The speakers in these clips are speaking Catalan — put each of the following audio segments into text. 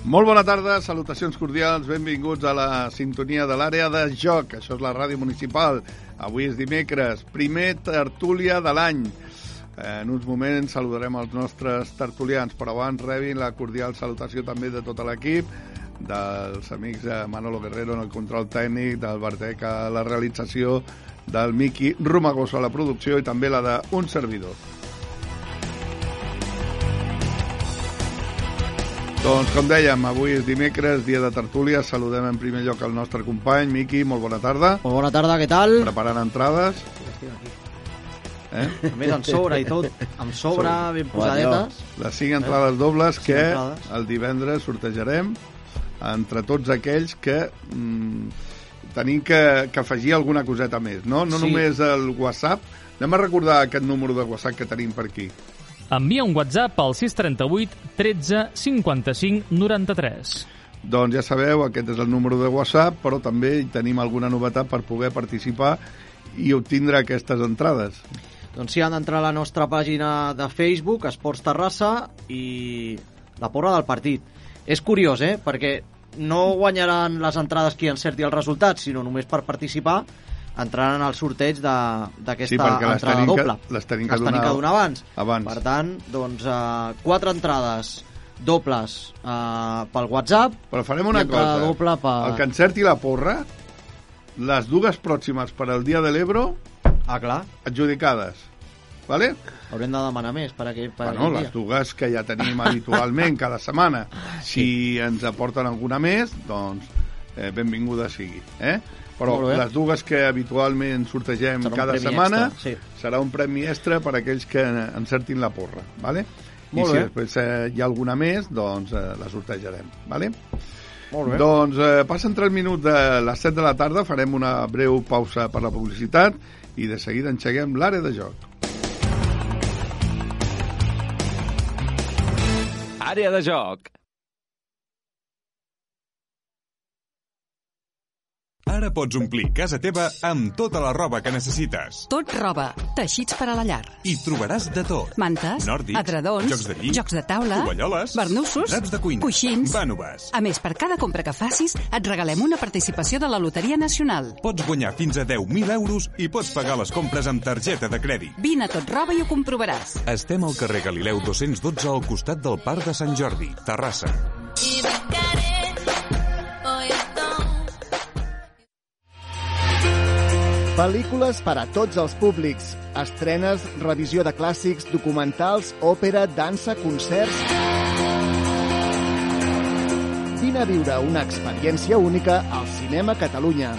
Molt bona tarda, salutacions cordials, benvinguts a la sintonia de l'àrea de joc. Això és la ràdio municipal. Avui és dimecres, primer tertúlia de l'any. En uns moments saludarem els nostres tertulians, però abans rebin la cordial salutació també de tot l'equip, dels amics de Manolo Guerrero en el control tècnic, del Bartec a la realització, del Miqui Romagoso a la producció i també la d'un servidor. Doncs, com dèiem, avui és dimecres, dia de tertúlia. Saludem en primer lloc el nostre company, Miqui, molt bona tarda. Molt bona tarda, què tal? Preparant entrades. A més, amb sobre i tot, amb sobre, ben posadetes. Les 5 entrades dobles que el divendres sortejarem entre tots aquells que tenim que afegir alguna coseta més, no? No només el WhatsApp. Anem a recordar aquest número de WhatsApp que tenim per aquí. Envia un WhatsApp al 638 13 55 93. Doncs ja sabeu, aquest és el número de WhatsApp, però també tenim alguna novetat per poder participar i obtindre aquestes entrades. Doncs sí, han d'entrar a la nostra pàgina de Facebook, Esports Terrassa, i la porra del partit. És curiós, perquè no guanyaran les entrades qui encerti el resultat, sinó només per participar entraran al sorteig d'aquesta entrada doble. Les tenim que donar abans. Per tant, doncs, 4 entrades dobles pel WhatsApp. Però farem una cosa. Doble el que encerti la porra, les dues pròximes per al dia de l'Ebro, adjudicades. Vale? Haurem de demanar més per aquell dia. Les dues que ja tenim habitualment cada setmana. Si ens aporten alguna més, doncs benvinguda sigui. Però les dues que habitualment sortegem cada setmana serà un premi extra per a aquells que encertin la porra. Vale? I si després hi ha alguna més, doncs la sortejarem. Vale? Molt bé. Doncs passen 3 minuts de les 7 de la tarda, farem una breu pausa per la publicitat i de seguida engeguem l'àrea de joc. Àrea de joc. Ara pots omplir casa teva amb tota la roba que necessites. Tot roba, teixits per a la llar. Hi trobaràs de tot. Mantes, nòrdics, edredons, jocs de llit, jocs de taula, tovalloles, barnussos, draps de cuina, coixins, vànoves. A més, per cada compra que facis, et regalem una participació de la Loteria Nacional. Pots guanyar fins a 10.000 euros i pots pagar les compres amb targeta de crèdit. Vine a Tot Roba i ho comprovaràs. Estem al carrer Galileu 212 al costat del Parc de Sant Jordi, Terrassa. Pel·lícules per a tots els públics. Estrenes, revisió de clàssics, documentals, òpera, dansa, concerts... Vine a viure una experiència única al Cinema Catalunya.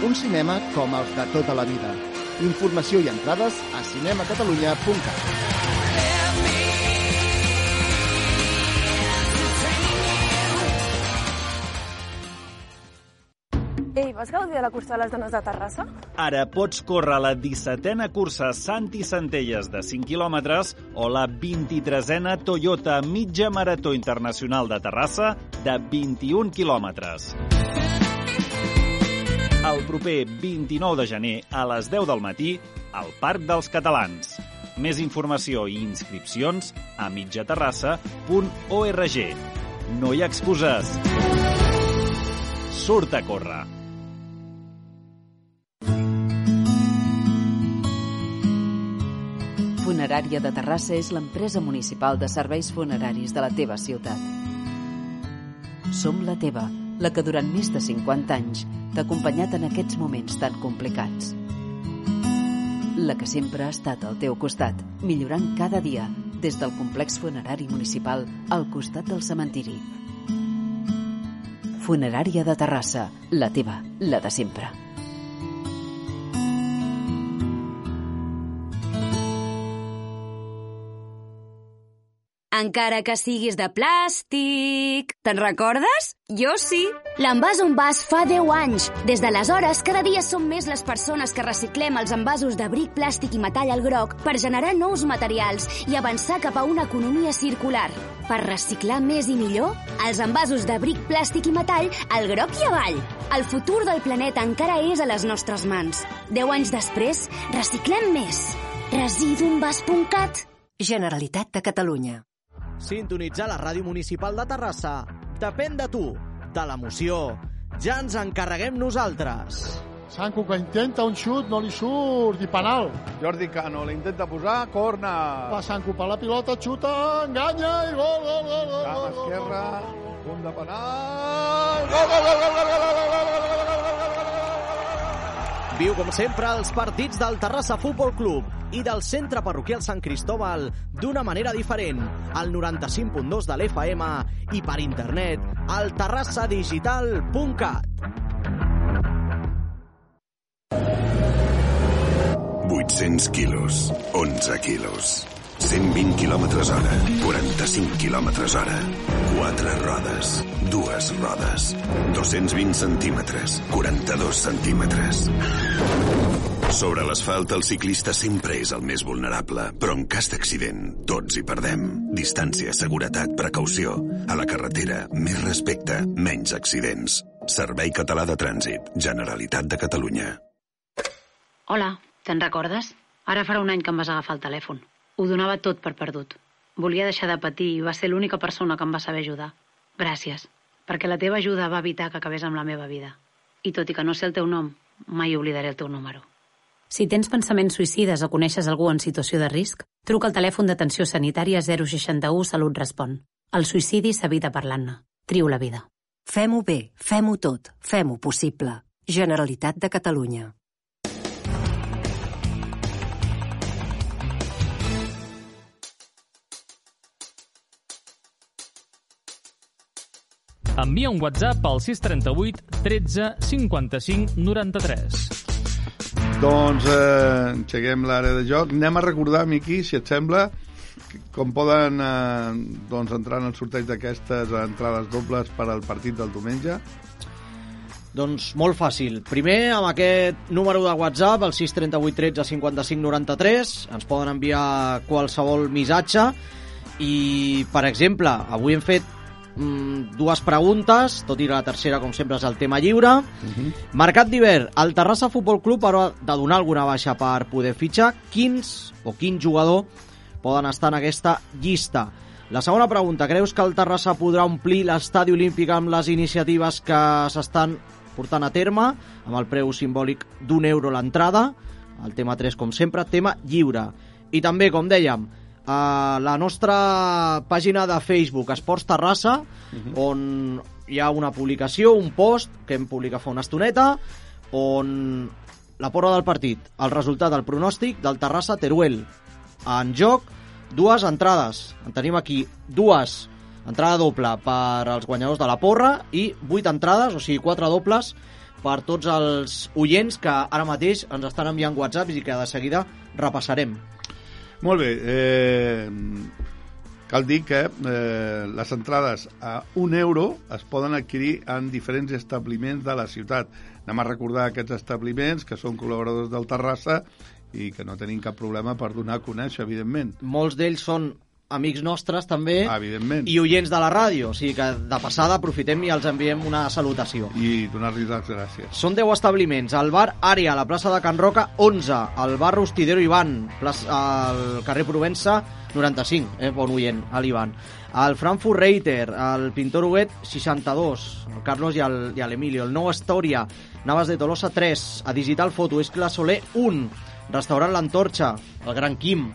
Un cinema com els de tota la vida. Informació i entrades a cinemacatalunya.cat. Ei, vas gaudir de la cursa de les dones de Terrassa? Ara pots córrer la 17a cursa Santi Centelles de 5 quilòmetres o la 23a Toyota Mitja Marató Internacional de Terrassa de 21 quilòmetres. El proper 29 de gener a les 10 del matí al Parc dels Catalans. Més informació i inscripcions a mitjaterrassa.org. No hi ha excuses. Surt a córrer. Funerària de Terrassa és l'empresa municipal de serveis funeraris de la teva ciutat. Som la teva, la que durant més de 50 anys t'ha acompanyat en aquests moments tan complicats. La que sempre ha estat al teu costat, millorant cada dia, des del complex funerari municipal al costat del cementiri. Funerària de Terrassa, la teva, la de sempre. Encara que siguis de plàstic. Te'n recordes? Jo sí. L'Envàs on vas fa 10 anys. Des d'aleshores, cada dia som més les persones que reciclem els envasos de bric, plàstic i metall al groc per generar nous materials i avançar cap a una economia circular. Per reciclar més i millor, els envasos de bric, plàstic i metall al groc i avall. El futur del planeta encara és a les nostres mans. 10 anys després, reciclem més. Residuenvas.cat. Generalitat de Catalunya. Sintonitzar la ràdio municipal de Terrassa depèn de tu, de l'emoció. Ja ens encarreguem nosaltres. Sanco, que intenta un xut, no li surt, i penal. Jordi Cano l'intenta posar, corna. Va Sanco per la pilota, xuta, enganya i gol, gol, gol, gol. Cama esquerra, punt de penal. Gol, gol, gol, gol, gol, gol, gol, gol, gol, gol, gol. Viu com sempre els partits del Terrassa Futbol Club i del Centre Parroquial Sant Cristóbal d'una manera diferent, al 95.2 de l'FM i per internet al terrassadigital.cat. 800 quilos, 11 quilos, 120 quilòmetres hora, 45 quilòmetres hora, 4 rodes, 2 rodes, 220 centímetres, 42 centímetres. Sobre l'asfalt el ciclista sempre és el més vulnerable, però en cas d'accident tots hi perdem. Distància, seguretat, precaució. A la carretera, més respecte, menys accidents. Servei Català de Trànsit, Generalitat de Catalunya. Hola, te'n recordes? Ara farà un any que em vas agafar el telèfon. Ho donava tot per perdut. Volia deixar de patir i va ser l'única persona que em va saber ajudar. Gràcies, perquè la teva ajuda va evitar que acabés amb la meva vida. I tot i que no sé el teu nom, mai oblidaré el teu número. Si tens pensaments suïcides o coneixes algú en situació de risc, truca al telèfon d'atenció sanitària 061 Salut Respon. El suïcidi s'evita parlant-ne. Trio la vida. Fem-ho bé, fem-ho tot, fem-ho possible. Generalitat de Catalunya. Envia un WhatsApp al 638 13 55 93. Doncs engeguem l'àrea de joc. Anem a recordar, Miqui, si et sembla, com poden entrar en el sorteig d'aquestes entrades dobles per al partit del diumenge. Doncs molt fàcil. Primer, amb aquest número de WhatsApp, el 638 13 55 93, ens poden enviar qualsevol missatge i, per exemple, avui hem fet dues preguntes, tot i la tercera, com sempre, és el tema lliure. Mercat d'hivern, el Terrassa Futbol Club haurà de donar alguna baixa per poder fitxar. Quin jugador poden estar en aquesta llista? La segona pregunta, creus que el Terrassa podrà omplir l'estadi olímpic amb les iniciatives que s'estan portant a terme, amb el preu simbòlic d'€1 l'entrada? El tema 3, com sempre, tema lliure. I també, com dèiem, a la nostra pàgina de Facebook Esports Terrassa, on hi ha una publicació, un post que hem publicat fa una estoneta, on la porra del partit, el resultat del pronòstic del Terrassa Teruel. En joc, dues entrades. En tenim aquí dues. Entrada doble per als guanyadors de la porra i 8 entrades, o sigui 4 dobles per tots els oients que ara mateix ens estan enviant whatsapps i que de seguida repassarem. Molt bé, cal dir que les entrades a €1 es poden adquirir en diferents establiments de la ciutat. Anem a recordar aquests establiments que són col·laboradors del Terrassa i que no tenim cap problema per donar a conèixer, evidentment. Molts d'ells són amics nostres també, evidentment, i oients de la ràdio, o sigui que de passada aprofitem i els enviem una salutació i donar-los les gràcies. Són 10 establiments: el bar Ària, a la plaça de Can Roca 11, el bar Rostidero Ivan, al carrer Provença 95, bon oient, a l'Ivan, el Frankfurt Reiter, el Pintor Huguet 62, el Carlos i l'Emilio, el Nou Astoria, Navas de Tolosa 3, a Digital Foto, Escla Soler 1, restaurant L'Antorxa, el Gran Quim,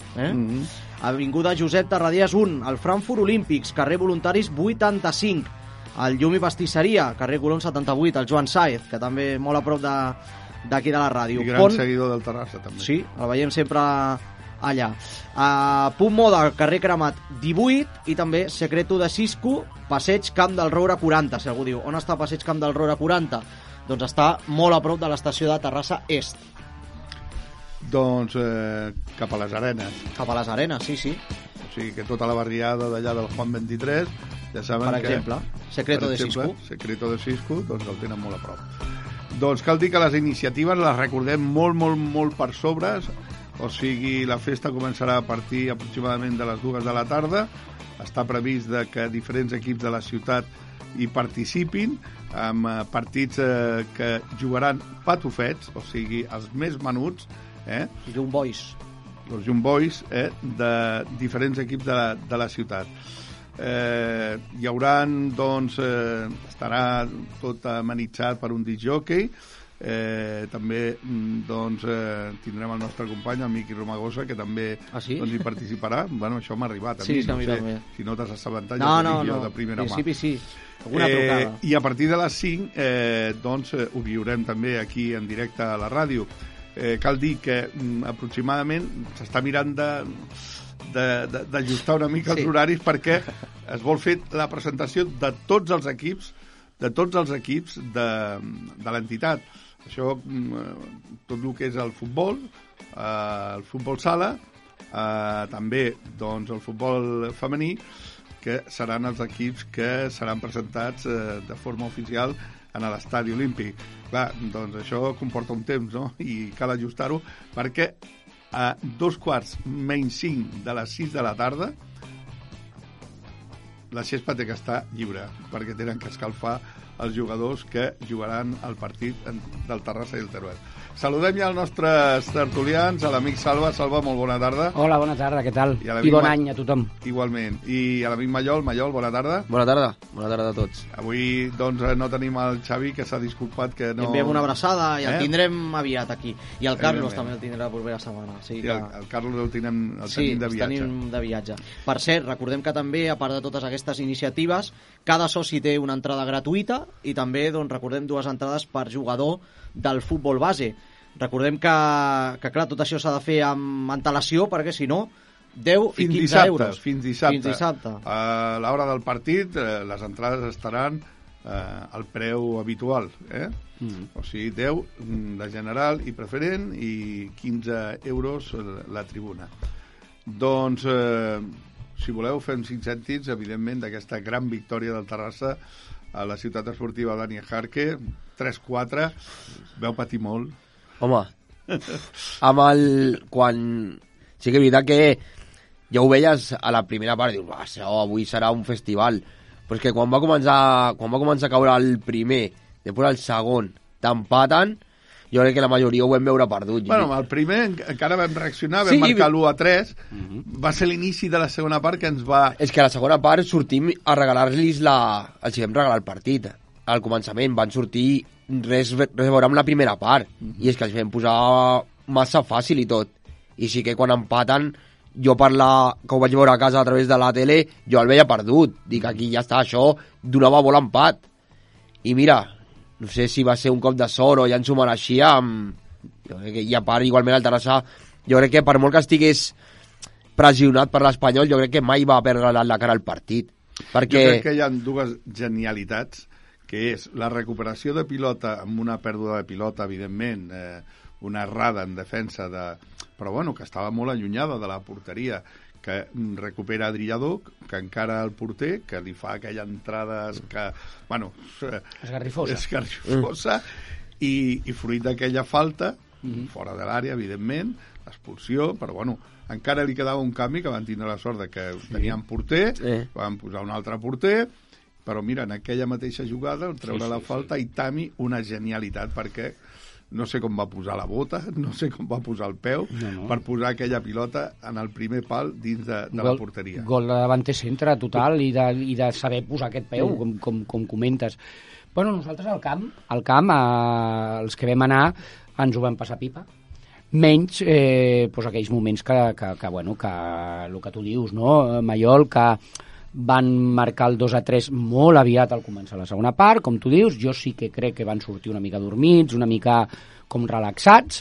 Avinguda Josep Tarradias 1, el Frankfurt Olímpics, carrer Voluntaris 85, el Llum i Pastisseria, carrer Colom 78, el Joan Saez, que també molt a prop d'aquí de la ràdio. I gran seguidor del Terrassa, també. Sí, el veiem sempre allà. Punt Moda, carrer Cremat 18, i també Secreto de Cisco, passeig Camp del Roure 40. Si algú diu, on està passeig Camp del Roure 40? Doncs està molt a prop de l'estació de Terrassa Est. Doncs cap a les Arenes. Cap a les Arenes, sí. O sigui que tota la barriada d'allà del Juan 23, ja saben per exemple, Secreto de Cisco, doncs el tenen molt a prop. Doncs cal dir que les iniciatives les recordem molt per sobre, o sigui, la festa començarà a partir aproximadament de les 2 de la tarda. Està previst que diferents equips de la ciutat hi participin, amb partits que jugaran patufets, o sigui, els més menuts, Young Boys. Els Young Boys de diferents equips de la ciutat. Hi haurà, doncs, estarà tot amenitzat per un discjòquei. També doncs, tindrem el nostre company, el Miqui Romagosa, que també doncs, hi participarà. Bueno, això m'ha arribat a mi, no sé si no t'has assabentat, jo de primera mà. Sí. Alguna trucada. I a partir de les 5 doncs, ho viurem també aquí en directe a la ràdio. Cal dir que aproximadament s'està mirant d'ajustar una mica els horaris perquè es vol fer la presentació de tots els equips de l'entitat. Això, tot el que és el futbol sala, també doncs, el futbol femení, que seran els equips que seran presentats de forma oficial en l'estadi olímpic. Clar, doncs això comporta un temps, no? I cal ajustar-ho perquè a 2:45 de les 6 de la tarda la xespa té que estar lliure perquè tenen que escalfar els jugadors que jugaran el partit del Terrassa i el Teruel. Saludem ja els nostres tertulians, a l'amic Salva. Salva, molt bona tarda. Hola, bona tarda, què tal? I bon any a tothom. Igualment. I a l'amic Mallol, bona tarda. Bona tarda a tots. Avui, doncs, no tenim el Xavi, que s'ha disculpat que no... Enviem una abraçada i el tindrem aviat aquí. I el Carlos també el tindrà la propera setmana. Sí, el Carlos el tenim de viatge. Sí, tenim de viatge. Per cert, recordem que també, a part de totes aquestes iniciatives, cada soci té una entrada gratuïta i també, doncs, recordem, 2 entrades per jugador del futbol base. Recordem que clar, tot això s'ha de fer amb antelació, perquè si no, 10 i 15 euros. Fins dissabte. A l'hora del partit, les entrades estaran al preu habitual. O sigui, 10 de general i preferent i 15 euros la tribuna. Doncs, si voleu, fem 5 cèntims, evidentment, d'aquesta gran victòria del Terrassa a la ciutat esportiva Dani Jarque, 3-4, veu patir molt. Home, quan... Sí que és veritat que ja ho veies a la primera part, dius, avui serà un festival, però és que quan va començar a caure el primer, després el segon, t'empaten, jo crec que la majoria ho vam veure perdut. Bueno, el primer encara vam reaccionar, vam marcar l'1-3, va ser l'inici de la segona part que ens va... És que a la segona part sortim a regalar-los els vam regalar el partit. Al començament van sortir res a veure amb la primera part, i és que els vam posar massa fàcil i tot. I sí que quan empaten, jo que ho vaig veure a casa a través de la tele, jo el veia perdut. Dic, aquí ja està, això donava molt empat. I mira... No sé si va ser un cop de sort o ja ens ho mereixia. I a part, igualment, el Terrassa, jo crec que per molt que estigués pressionat per l'Espanyol, jo crec que mai va perdre la cara al partit. Perquè... Jo crec que hi ha 2 genialitats, que és la recuperació de pilota amb una pèrdua de pilota, evidentment, una errada en defensa, però bueno, que estava molt allunyada de la porteria, que recupera Adriador, que encara el porter, que li fa aquella entrada esgarrifosa, i fruit d'aquella falta, fora de l'àrea, evidentment, l'expulsió, però bueno, encara li quedava un canvi, que van tindre la sort de que tenien porter, van posar un altre porter, però mira, en aquella mateixa jugada, treure la falta, i Tami, una genialitat, perquè no sé com va posar la bota, no sé com va posar el peu, per posar aquella pilota en el primer pal dins de la porteria. Gol de davanter centre total i de saber posar aquest peu, com comentes. Bueno, nosaltres al camp, els que vam anar, ens ho vam passar pipa. Menys aquells moments que el que tu dius, no, Mallol, que van marcar el 2-3 molt aviat al començar la segona part, com tu dius. Jo sí que crec que van sortir una mica dormits, una mica com relaxats,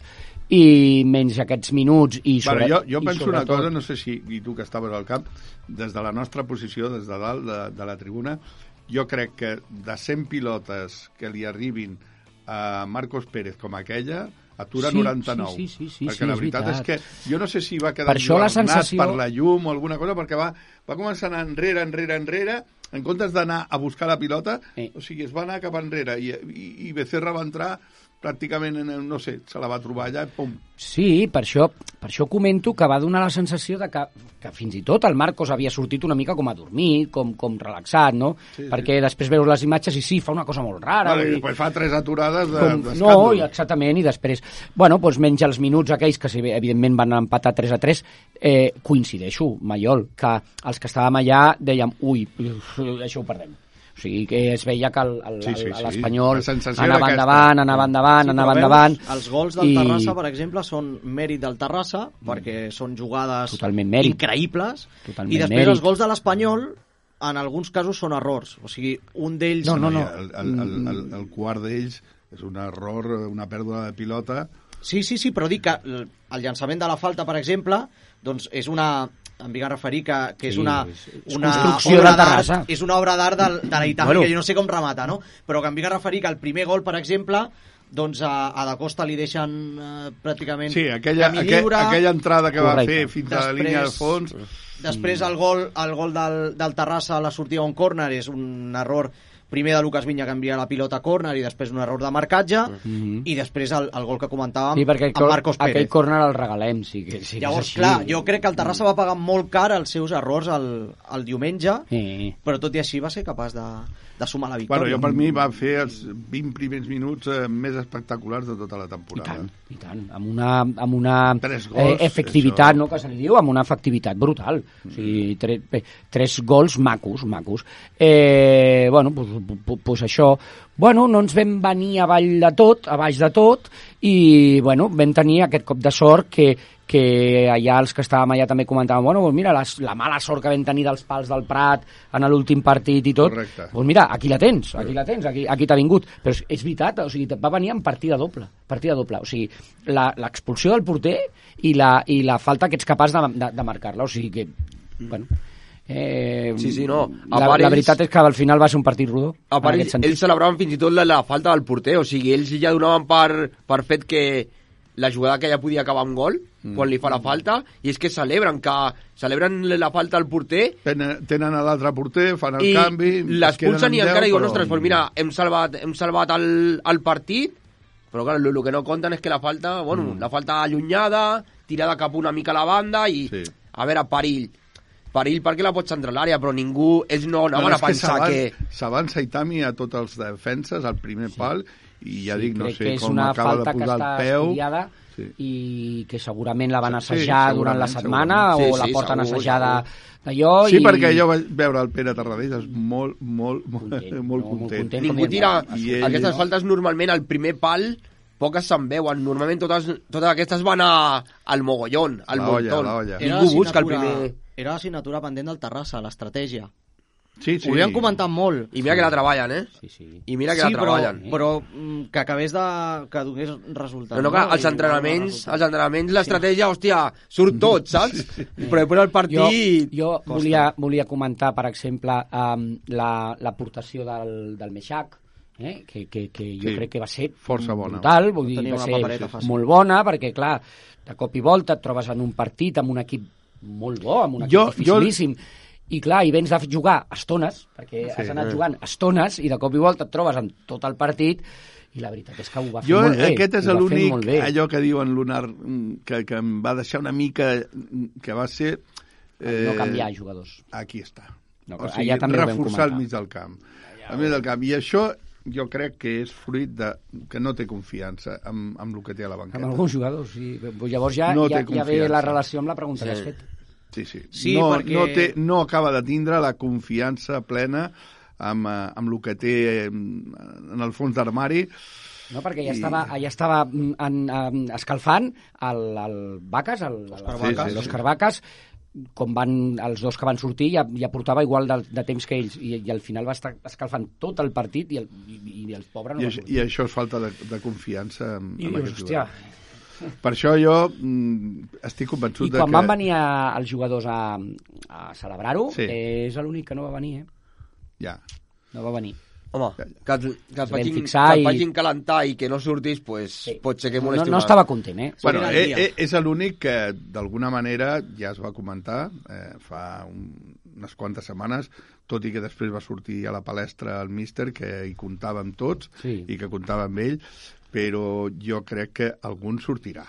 i menys aquests minuts jo penso una cosa, no sé si i tu que estaves al camp, des de la nostra posició, des de dalt de la tribuna, jo crec que de 100 pilotes que li arribin a Marcos Pérez com aquella, atura 99. Perquè la veritat és que jo no sé si va quedar enlluernat per la llum o alguna cosa, perquè va començar a anar enrere, en comptes d'anar a buscar la pilota, o sigui, es va anar cap enrere, i Becerra va entrar pràcticament, no sé, se la va trobar allà i pum. Sí, per això comento que va donar la sensació de que fins i tot el Marcos havia sortit una mica com adormit, com relaxat, no? Sí, perquè després veus les imatges i sí, fa una cosa molt rara. Vale, i després fa 3 aturades d'escàndol. No, exactament, i després, bueno, doncs menys els minuts aquells que evidentment van empatar 3-3, coincideixo, Maiol, que els que estàvem allà dèiem, ui, això ho perdem. O sigui, que es veia que l'Espanyol anava endavant. Els gols del Terrassa, per exemple, són mèrit del Terrassa, perquè són jugades increïbles, i després els gols de l'Espanyol, en alguns casos, són errors. O sigui, un d'ells... No. El quart d'ells és un error, una pèrdua de pilota. Sí, però dic que el llançament de la falta, per exemple, doncs és una... em vinc a referir que és una construcció de Terrassa. És una obra d'art de la Itàlia, que jo no sé com remata, no? Però que em vinc a referir que el primer gol, per exemple, doncs a Da Costa li deixen pràcticament camí lliure. Aquella entrada que va fer fins a la línia de fons. Després el gol del Terrassa a la sortida d'un córner és un error primer de Lucas Viña, que envia la pilota a córner, i després un error de marcatge, i després el gol que comentàvem amb Marcos Pérez. Aquell córner el regalem, Llavors, clar, jo crec que el Terrassa va pagar molt car els seus errors el diumenge, però tot i així va ser capaç de sumar la victòria. Bueno, jo per mi va fer els 20 primers minuts més espectaculars de tota la temporada. I tant, amb una efectivitat, no, que se li diu, amb una efectivitat brutal. O sigui, 3 gols macos. Bueno, doncs això, bueno, no ens vam venir a baix de tot, i bueno, vam tenir aquest cop de sort que allà els que estàvem allà també comentàvem, bueno, doncs mira, la mala sort que vam tenir dels pals del Prat en l'últim partit i tot, doncs mira, aquí la tens, aquí t'ha vingut. Però és veritat, o sigui, va venir en partida doble, o sigui, l'expulsió del porter i la falta que ets capaç de marcar-la, o sigui que, bueno... La veritat és que al final va ser un partit rodó. A part, ells celebraven fins i tot la falta del porter, o sigui, ells ja donaven per fet que la jugada que ja podia acabar amb gol, quan li fa la falta, i és que celebren la falta al porter, tenen a l'altre porter, fan el canvi, i l'expulsen i encara diuen, ostres, doncs mira, hem salvat el partit, però clar, el que no compten és que la falta, la falta allunyada, tirada cap una mica a la banda, i a veure, perill perquè la pots entrar a l'àrea, però ells no anaven a pensar que... S'avança Itami a tots els defenses al primer pal, i ja dic, no sé com acaba de posar el peu... I que segurament la van assajar durant la setmana, o la porten assajada d'allò... Sí, perquè jo vaig veure el Pere Tarradellas molt content. Ningú tira aquestes faltes normalment al primer pal, poques se'n veuen. Normalment totes aquestes van al mogollón, al montón. Ningú busca el primer... Era l'assignatura pendent del Terrassa, l'estratègia. Sí. Ho havien comentat molt. I mira que la treballen, I mira que la treballen. Però que acabés que donés resultats. No, que als entrenaments l'estratègia, hòstia, surt tot, saps? Però després el partit... Jo volia comentar, per exemple, l'aportació del Meixac, que jo crec que va ser força bona, brutal, vull dir, va ser molt bona, perquè, clar, de cop i volta et trobes en un partit amb un equip molt bo, amb un equip dificilíssim, i clar, i vens de jugar estones, perquè has anat jugant estones, i de cop i volta et trobes en tot el partit, i la veritat és que ho va fer molt bé. Aquest és l'únic, allò que diuen Lunar, que em va deixar una mica, que va ser... no canviar jugadors. Aquí està. O sigui, reforçar el mig del camp. I això jo crec que és fruit que no té confiança amb el que té a la banqueta. Amb alguns jugadors, sí. Llavors ja ve la relació amb la pregunta que has fet. Sí. No acaba de tindre la confiança plena amb el que té en el fons d'armari. No, perquè ja estava escalfant el Vacas, l'Òscar Vacas, com els dos que van sortir, ja portava igual de temps que ells, i al final va estar escalfant tot el partit, i el pobre no va sortir. I això és falta de confiança amb aquest jugador. Per això jo estic convençut que... I quan van venir els jugadors a celebrar-ho, és l'únic que no va venir, Ja. No va venir. Home, que et fixar facin calentar i que no surtis, pues, pot ser que molesti no estava content, Bueno, és l'únic que, d'alguna manera, ja es va comentar fa unes quantes setmanes, tot i que després va sortir a la palestra el míster, que hi comptava amb tots i que comptava amb ell, però jo crec que algun sortirà.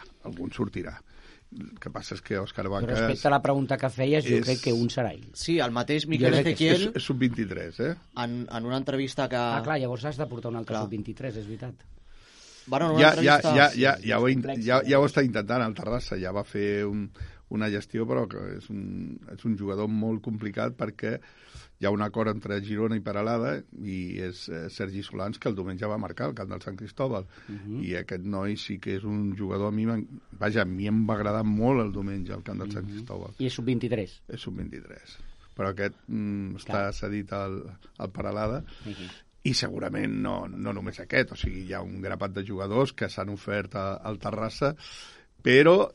El que passa és que Òscar Vacas... Respecte a la pregunta que feies, jo crec que un serà ell. Sí, el mateix Miquel Ezequiel... És sub-23, En una entrevista que... clar, llavors has de portar un altre sub-23, és veritat. Bueno, una entrevista... Ja ho està intentant el Terrassa, ja va fer una gestió, però que és un jugador molt complicat perquè hi ha un acord entre Girona i Peralada i és Sergi Solans, que el diumenge va marcar al camp del Sant Cristóbal. I aquest noi sí que és un jugador... A mi em va agradar molt el diumenge al camp del Sant Cristóbal. I és sub-23? És sub-23. Però aquest està cedit al Peralada. I segurament no només aquest, o sigui, hi ha un grapat de jugadors que s'han ofert al Terrassa, però,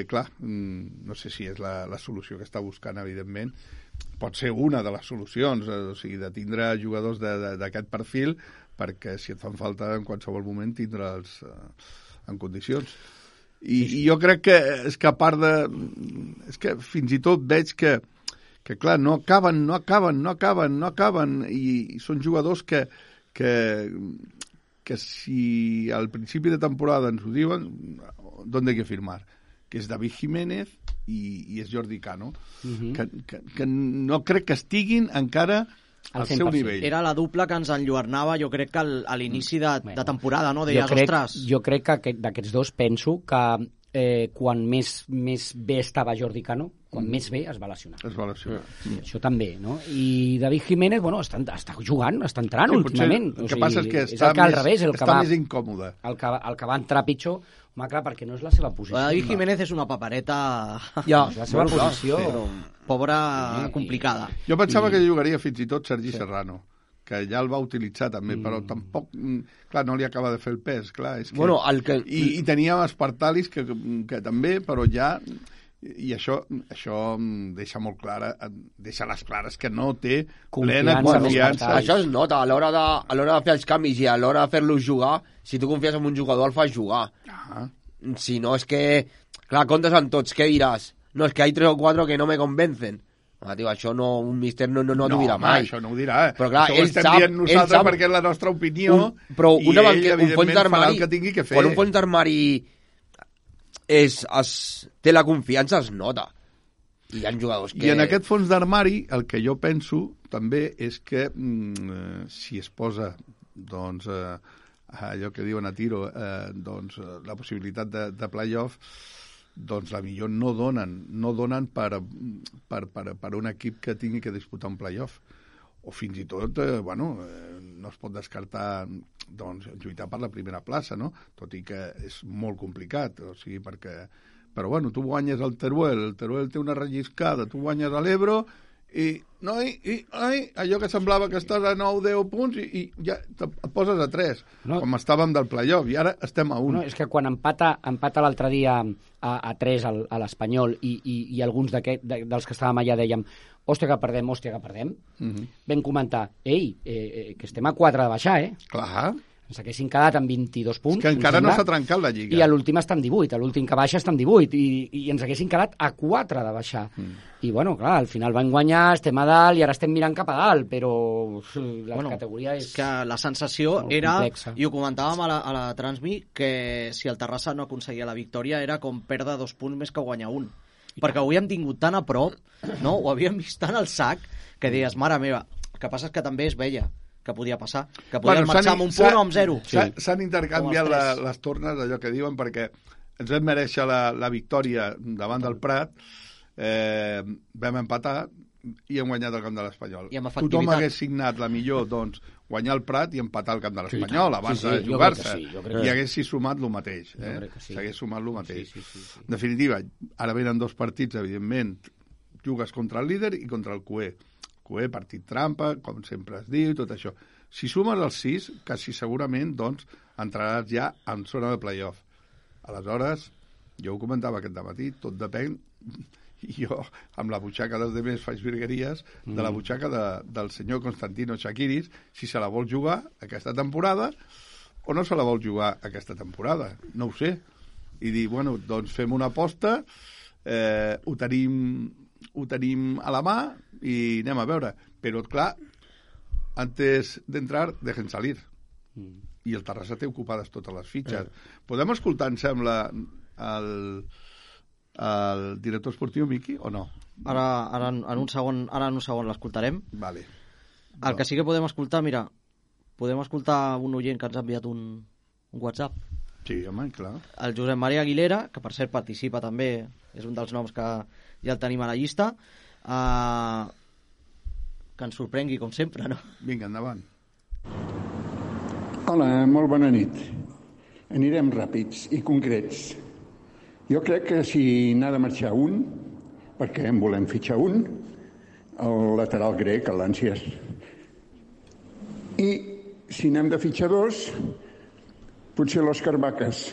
clar, no sé si és la solució que està buscant, evidentment. Pot ser una de les solucions, o sigui, de tindre jugadors d'aquest perfil, perquè si et fan falta en qualsevol moment tindre'ls en condicions. I jo crec que és que a part de... És que fins i tot veig que clar, no acaben, i són jugadors que si al principi de temporada ens ho diuen, ¿dónde hay que firmar? Que és David Jiménez i és Jordi Cano, que no crec que estiguin encara al seu nivell. Era la dupla que ens enlluernava, jo crec que a l'inici de temporada, no? Deies, ostres... Jo crec que d'aquests dos penso que quan més bé estava Jordi Cano, quan més bé es va lesionar. Això també, no? I David Jiménez, bueno, està jugant, està entrant últimament. El que passa és que està més incòmode. El que va entrar pitjor, home, clar, perquè no és la seva posició. David Jiménez és una papereta... Ja, és la seva posició. Pobra, complicada. Jo pensava que jugaria fins i tot Sergi Serrano, que ja el va utilitzar també, però tampoc... Clar, no li acaba de fer el pes, clar. És que... Bueno, I tenia Espartalis que també, però ja... I això deixa molt clara, deixa les clares que no té plena confiança. Això es nota a l'hora de fer els canvis i a l'hora de fer-los jugar. Si tu confies en un jugador, el fas jugar. Si no, és que... Clar, comptes amb tots, què diràs? No, és que hay 3 o 4 que no me convencen. Tio, això un míster no t'ho dirà mai. Això no ho dirà, Però clar, això ho estem dient nosaltres perquè és la nostra opinió i ell, evidentment, farà el que tingui que fer. Quan un fons d'armari té la confiança, es nota. I hi ha jugadors que... I en aquest fons d'armari, el que jo penso també és que si es posa, doncs, allò que diuen a tiro, doncs, la possibilitat de play-off, doncs la millor no donen per un equip que tingui que disputar un play-off. O fins i tot, no es pot descartar doncs, lluitar per la primera plaça, no? Tot i que és molt complicat, o sigui, perquè... Però, tu guanyes el Teruel té una relliscada, tu guanyes a l'Ebro, i allò que semblava que estàs a 9-10 punts i ja et poses a 3, com estàvem del play-off, i ara estem a 1. No, és que quan empata l'altre dia a 3 a l'Espanyol i alguns dels que estàvem allà dèiem hòstia que perdem, vam comentar, que estem a 4 de baixar, Clar. Ens haguessin quedat amb 22 punts. És que encara no s'ha trencat la Lliga. I a l'últim està amb 18, a l'últim que baixa està amb 18, i ens haguessin quedat a 4 de baixar. I, clar, al final van guanyar, estem a dalt, i ara estem mirant cap a dalt, però la categoria és... que la sensació era, complexa. I ho comentàvem a la Transmi, que si el Terrassa no aconseguia la victòria era com perdre 2 punts més que guanyar 1. Perquè ho havíem tingut tan a prop, no? Ho havíem vist tan al sac, que deies, mare meva, el que passa és que també es veia que podia passar, que podien marxar amb un punt o amb 0. S'han intercanviat les tornes, allò que diuen, perquè ens vam mereixer la victòria davant del Prat, vam empatar i hem guanyat el camp de l'Espanyol. Tothom hagués signat la millor, doncs, guanyar el Prat i empatar el camp de l'Espanyol abans de jugar-se. I haguéssim sumat el mateix. S'hagués sumat el mateix. En definitiva, ara venen 2 partits, evidentment, jugues contra el líder i contra el QE. QE, partit trampa, com sempre es diu, tot això. Si sumes els 6, quasi segurament, doncs, entraràs ja en zona de play-off. Aleshores, jo ho comentava aquest dematí, tot depèn, jo, amb la butxaca dels demés faig virgueries, de la butxaca del senyor Constantino Chakiris, si se la vol jugar aquesta temporada o no se la vol jugar aquesta temporada. No ho sé. I dir, bueno, doncs fem una aposta, ho tenim a la mà i anem a veure. Però, clar, antes d'entrar, dejen salir. I el Terrassa té ocupades totes les fitxes. Podem escoltar, em sembla, el director esportiu, Miqui, o no? Ara en un segon l'escoltarem. Vale. El que sí que podem escoltar, mira, podem escoltar un oient que ens ha enviat un WhatsApp. Sí, home, clar. El Josep Maria Aguilera, que per cert participa també, és un dels noms que ja el tenim a la llista, que ens sorprengui com sempre, no? Vinga, endavant. Hola, molt bona nit. Anirem ràpids i concrets. Jo crec que si n'ha de marxar un, perquè en volem fitxar un, el lateral grec, l'Ànsies. I si n'hem de fitxar dos, potser l'Òscar Vacas.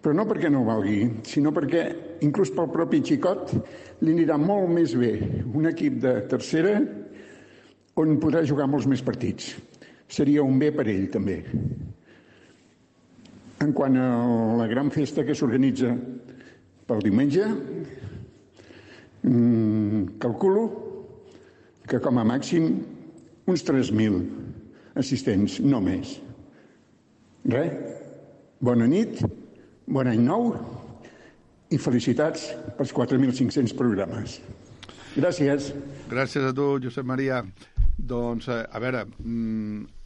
Però no perquè no valgui, sinó perquè, inclús pel propi Xicot, li anirà molt més bé un equip de tercera on podrà jugar molts més partits. Seria un bé per ell, també. En quant a la gran festa que s'organitza pel diumenge, calculo que com a màxim uns 3.000 assistents, no més. Res, bona nit, bon any nou i felicitats pels 4.500 programes. Gràcies. Gràcies a tu, Josep Maria. Doncs, a veure,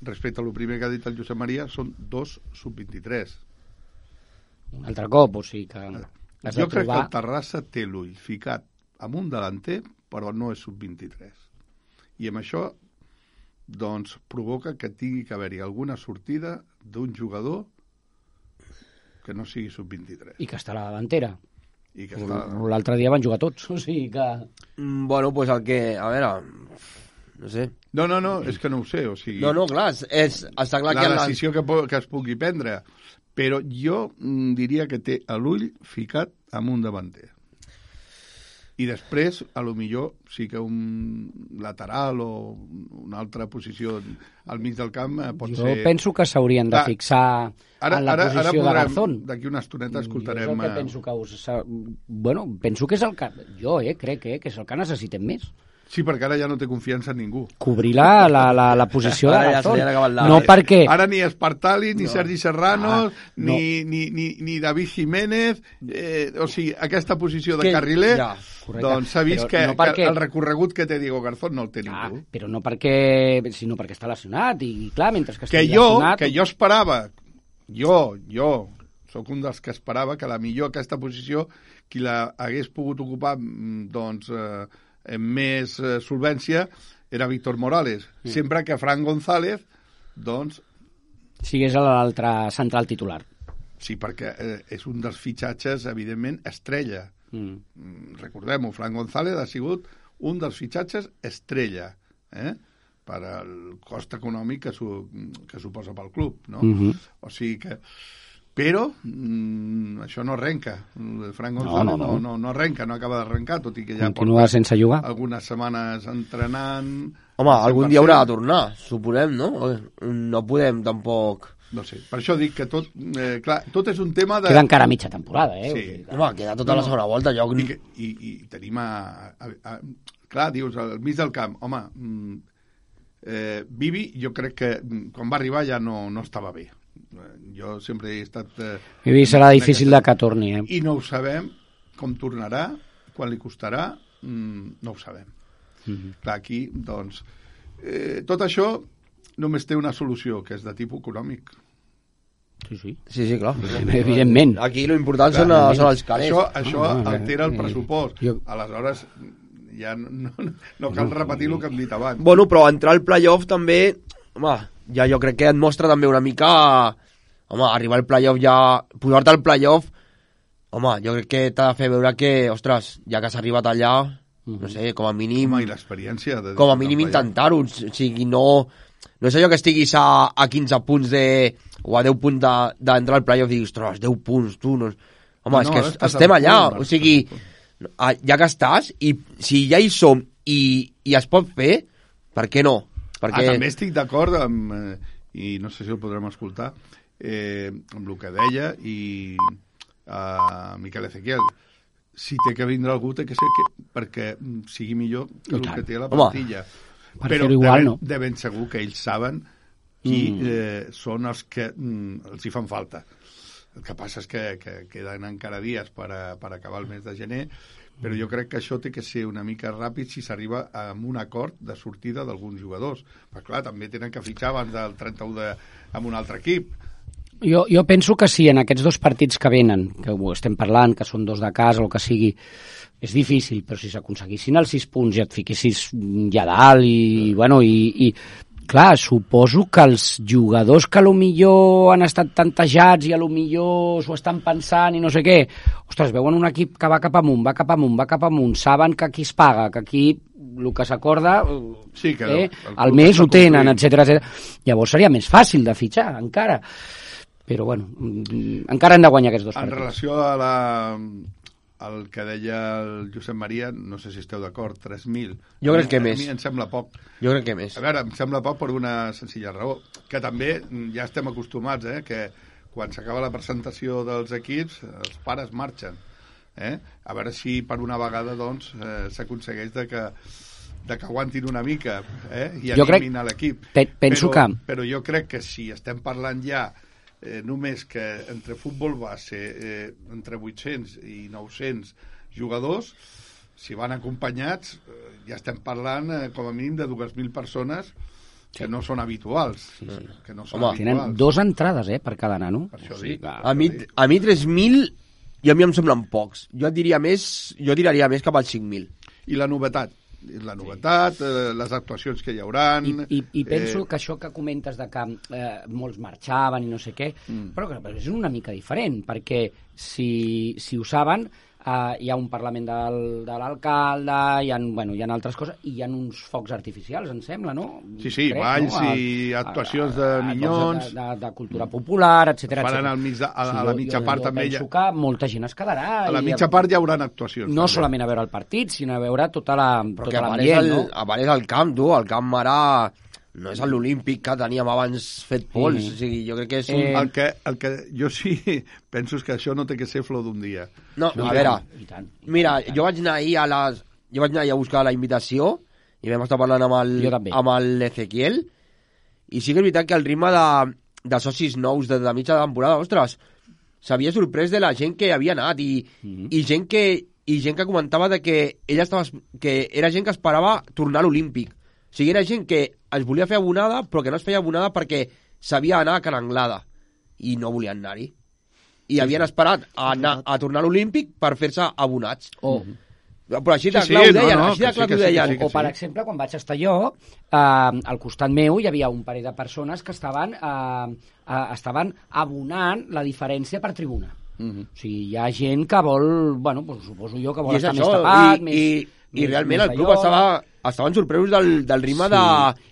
respecte a lo primer que ha dit el Josep Maria, són 2 sub-23. Un altre cop, o sigui que... Jo crec que el Terrassa té l'ull ficat amb un delanter, però no és sub-23. I amb això, doncs, provoca que tingui que haver-hi alguna sortida d'un jugador que no sigui sub-23. I que està a la davantera. I que està... L'altre dia van jugar tots, o sigui que... Bueno, pues el que... A veure... No sé. No, és que no ho sé, o sigui... No, clar, està clar que... La decisió que es pugui prendre. Però jo diria que té l'ull ficat amb un davanter. I després, a lo millor, sí que un lateral o una altra posició al mig del camp pot ser... Jo penso que s'haurien de fixar en la posició de Garzón. D'aquí una estoneta escoltarem... Jo és el que penso que Bueno, penso que és el que... Jo crec que és el que necessitem més. Sí, perquè ara ja no té confiança en ningú. Cobrir la posició de Garzón. No perquè... Ara ni Espartali, ni Sergi Serrano, ni David Jiménez, o sigui, aquesta posició de carriler, doncs s'ha vist que el recorregut que té Diego Garzón no el té ningú. Però no perquè... sinó perquè està lesionat, i clar, mentre que estigui lesionat... Que jo esperava, jo sóc un dels que esperava que la millor aquesta posició, qui la hagués pogut ocupar, doncs... amb més solvència era Víctor Morales, sempre que Fran González doncs sigués l'altre central titular. Sí, perquè és un dels fitxatges evidentment estrella. Recordem-ho, Fran González ha sigut un dels fitxatges estrella per al cost econòmic que suposa pel club, no? O sigui que però això no arrenca. Fran González no arrenca, no acaba d'arrencar, tot i que ja continua sense jugar algunes setmanes entrenant. Home, algun dia haurà de tornar, suposem, no? No podem tampoc... No sé, per això dic que tot... clar, tot és un tema de... Queda encara mitja temporada, Sí. Home, queda tota la segona volta. I tenim clar, dius, al mig del camp, home, Vivi, jo crec que quan va arribar ja no estava bé. Jo sempre he estat... Vivi serà difícil de que torni, I no ho sabem, com tornarà, quan li costarà, no ho sabem. Clar, aquí, doncs... tot això només té una solució, que és de tipus econòmic. Sí, clar. Evidentment. Aquí l'important són els calés. Això altera el pressupost. Aleshores, ja no cal repetir el que hem dit abans. Bueno, però entrar al playoff també... Home, ja jo crec que et mostra també una mica... Home, arribar al playoff ja... Posar-te al playoff... Home, jo crec que t'ha de fer veure que... Ostres, ja que has arribat allà... No sé, com a mínim... Home, i l'experiència... Com a mínim intentar-ho. O sigui, no és allò que estiguis a 15 punts o a 10 punts d'entrar al playoff i diguis, ostres, 10 punts, tu... No... Home, és que estem allà. O sigui, ja que estàs, i si ja hi som i es pot fer, per què no? Perquè... També estic d'acord amb, i no sé si el podrem escoltar, amb el que deia i Miquel Ezequiel. Si té que vindre algú, té que ser perquè sigui millor que el que té la plantilla. Però de ben segur que ells saben qui són els que els hi fan falta. El que passa és que queden encara dies per acabar el mes de gener, però jo crec que això té que ser una mica ràpid si s'arriba a un acord de sortida d'alguns jugadors. Però clar, també tenen que fitxar abans del 31 amb un altre equip. Jo penso que sí, en aquests 2 partits que venen, que ho estem parlant, que són 2 de casa o el que sigui, és difícil, però si s'aconseguissin els 6 punts i et fiquessis ja dalt i clar, suposo que els jugadors que potser han estat tantejats i potser s'ho estan pensant i no sé què, ostres, veuen un equip que va cap amunt, saben que aquí es paga, que aquí el que s'acorda al mes ho tenen, etc. Llavors seria més fàcil de fitxar, encara. Però, encara hem de guanyar aquests 2 partits. En relació al que deia el Josep Maria, no sé si esteu d'acord, 3.000. Jo crec que més. A mi em sembla poc. Jo crec que més. A veure, em sembla poc per una senzilla raó, que també ja estem acostumats, que quan s'acaba la presentació dels equips, els pares marxen. A veure si per una vegada, doncs, s'aconsegueix de que aguantin una mica i animin a l'equip. Però jo crec que si estem parlant ja només que entre futbol base entre 800 i 900 jugadors, si van acompanyats ja estem parlant com a mínim de 2.000 persones que no són habituals. Que no són habituals. Tenen 2 entrades per cada nano. Per això dic. A mi 3.000 i a mi em semblen pocs. Jo tiraria més cap als 5.000. I la novetat? Les actuacions que hi hauran... I penso que això que comentes de que molts marxaven i no sé què, però és una mica diferent, perquè si ho saben, hi ha un Parlament de l'alcalde, hi ha altres coses, i hi ha uns focs artificials, em sembla, no? Sí, balls i actuacions de minyons... De cultura popular, etc. Faran a la mitja part també... Jo penso que molta gent es quedarà. A la mitja part hi haurà actuacions. No solament a veure el partit, sinó a veure tota l'ambient, no? A part és el camp, tu, el camp ara... No és l'Olímpic que teníem abans fet pols, o sigui, jo crec que és un... El que jo sí penso és que això no té que ser flor d'un dia. No, a veure, mira, jo vaig anar ahir a buscar la invitació i vam estar parlant amb l'Ezequiel i sí que és veritat que el ritme de socis nous de mitja temporada, ostres, s'havia sorprès de la gent que havia anat i gent que comentava de que era gent que esperava tornar a l'Olímpic. O sigui, era gent que es volia fer abonada, però que no es feia abonada perquè sabia anar a Can Anglada i no volien anar-hi. I havien esperat a tornar a l'Olímpic per fer-se abonats. Però així de clar ho deien. O, per exemple, quan vaig estar jo, al costat meu hi havia un parell de persones que estaven abonant la diferència per tribuna. O sigui, hi ha gent que vol, suposo jo, que vol estar més tapat, i realment el club estaven sorpresos del ritme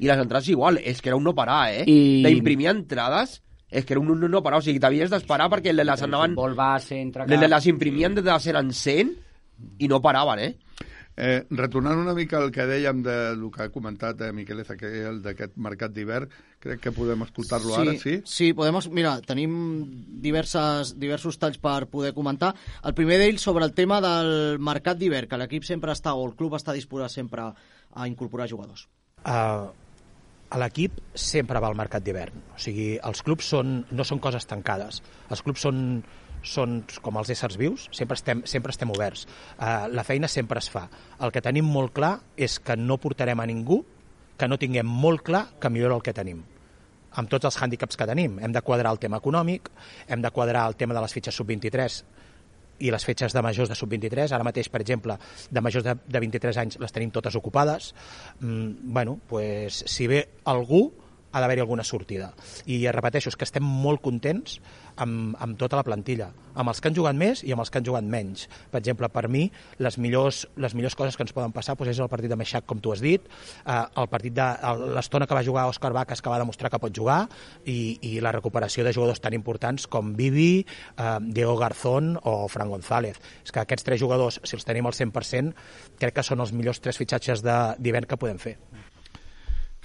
i les entrades igual, és que era un no parar, d'imprimir entrades, és que era un no parar, o sigui, t'havies d'esperar perquè les anaven... Les imprimien de 100 en 100 i no paraven, Retornant una mica al que dèiem del que ha comentat Miquel Ezequiel d'aquest mercat d'hivern, crec que podem escoltar-lo ara, sí? Sí, mira, tenim diversos talls per poder comentar. El primer d'ells sobre el tema del mercat d'hivern, que l'equip sempre està, o el club està disposat sempre a incorporar jugadors. L'equip sempre va al mercat d'hivern, o sigui, els clubs no són coses tancades, els clubs són com els éssers vius, sempre estem oberts. La feina sempre es fa. El que tenim molt clar és que no portarem a ningú que no tinguem molt clar que millora el que tenim. Amb tots els hàndicaps que tenim. Hem de quadrar el tema econòmic, hem de quadrar el tema de les fitxes sub-23 i les fitxes de majors de sub-23. Ara mateix, per exemple, de majors de 23 anys les tenim totes ocupades. Si ve algú, ha d'haver-hi alguna sortida. I repeteixo, és que estem molt contents amb tota la plantilla, amb els que han jugat més i amb els que han jugat menys. Per exemple, per mi, les millors coses que ens poden passar és el partit de Meixac, com tu has dit, l'estona que va jugar Òscar Vacas, que va demostrar que pot jugar, i la recuperació de jugadors tan importants com Vivi, Diego Garzón o Fran González. És que aquests 3 jugadors, si els tenim al 100%, crec que són els millors 3 fitxatges d'hivern que podem fer.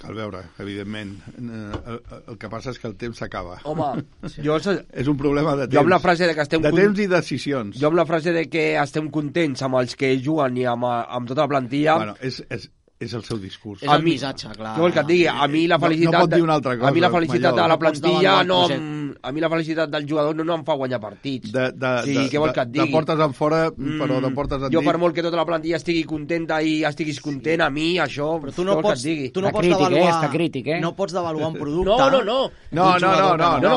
Cal veure, evidentment. El que passa és que el temps s'acaba. Home, és un problema de temps. Jo amb la frase de que estem temps i decisions. Jo amb la frase de que estem contents amb els que juguen i amb tota la plantilla... Bueno, és el seu discurs. És el missatge, clar. Jo vol que et digui, a mi la felicitat... No pot dir una altra cosa. A mi la felicitat de la plantilla a mi la felicitat del jugador no em fa guanyar partits. Què vol que et digui? De portes en fora, però de portes en dins. Jo per molt que tota la plantilla estigui contenta i estiguis content, a mi això... Però tu no pots devaluar... Està crític, eh? No pots devaluar un producte... No,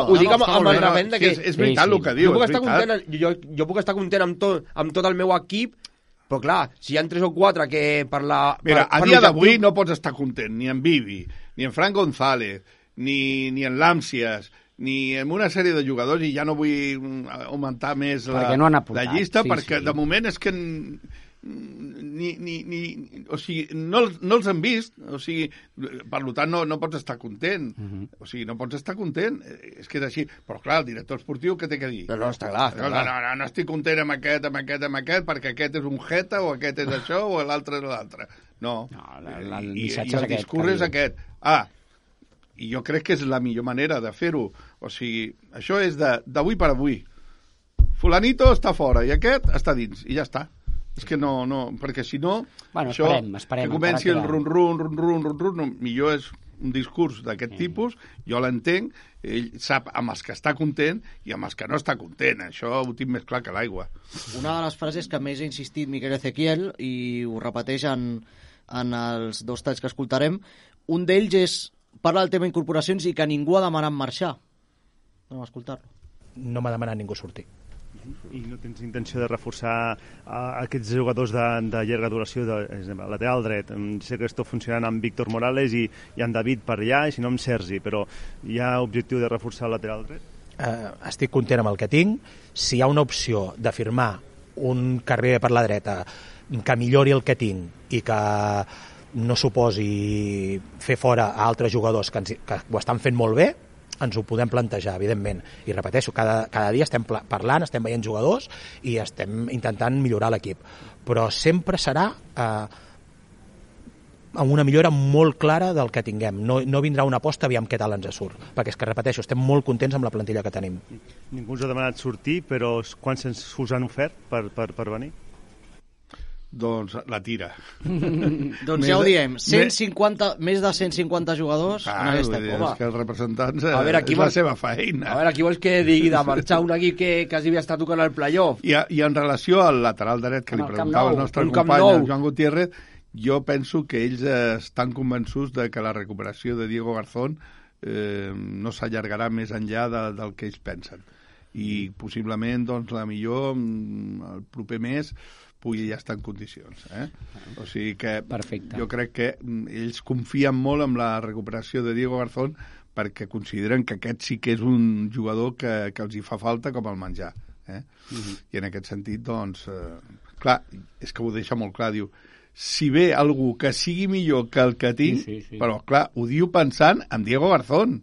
ho dic amb el repent que... És veritat el que diu, jo puc estar content amb tot el meu equip, però clar, si hi ha 3 o 4 que per la... Mira, a dia d'avui no pots estar content ni en Vivi, ni en Fran González, ni en l'Àmsies, ni en una sèrie de jugadors, i ja no vull augmentar més la llista, perquè de moment és que o sigui, no els han vist, o sigui, per tant no pots estar content, o sigui, no pots estar content, és que és així, però clar, el director esportiu què té que dir? No, està clar. No estic content amb aquest, perquè aquest és un jeta, o aquest és això, o l'altre és l'altre. No, i el discurs és aquest. I jo crec que és la millor manera de fer-ho, o sigui, això és d'avui per avui. Fulanito està fora i aquest està dins, i ja està. És que no, perquè si no, això, que comenci el run-run, millor és un discurs d'aquest tipus, jo l'entenc, ell sap amb els que està content i amb els que no està content, això ho tinc més clar que l'aigua. Una de les frases que més ha insistit Miquel Ezequiel, i ho repeteix en els 2 talls que escoltarem, un d'ells parla del tema incorporacions i que ningú ha demanat marxar. Anem a escoltar-lo. No m'ha demanat ningú sortir. I no tens intenció de reforçar aquests jugadors de llarga duració, lateral dret? Sé que està funcionant amb Víctor Morales i amb David per allà, i si no amb Sergi, però hi ha objectiu de reforçar el lateral dret? Estic content amb el que tinc. Si hi ha una opció de firmar un carrer per la dreta que millori el que tinc i que no suposi fer fora a altres jugadors que ho estan fent molt bé, ens ho podem plantejar, evidentment. I repeteixo, cada dia estem parlant, estem veient jugadors i estem intentant millorar l'equip. Però sempre serà amb una millora molt clara del que tinguem. No vindrà una aposta, aviam què tal ens surt. Perquè és que, repeteixo, estem molt contents amb la plantilla que tenim. Ningú us ha demanat sortir, però quants us han ofert per venir? Doncs la tira. Doncs ja ho diem, més de 150 jugadors en aquesta època. És que els representants és la seva feina. A veure, aquí vols que digui de marxar un equip que quasi havia estat tocant el playoff? I en relació al lateral dret que li preguntava el nostre company, el Joan Gutiérrez, jo penso que ells estan convençuts de que la recuperació de Diego Garzón no s'allargarà més enllà del que ells pensen. I possiblement, doncs, la millor el proper mes pugui ja estar en condicions. O sigui que jo crec que ells confien molt en la recuperació de Diego Garzón perquè consideren que aquest sí que és un jugador que els hi fa falta com el menjar. I en aquest sentit, doncs, clar, és que ho deixa molt clar, diu, si ve algú que sigui millor que el que tinc, però clar, ho diu pensant en Diego Garzón.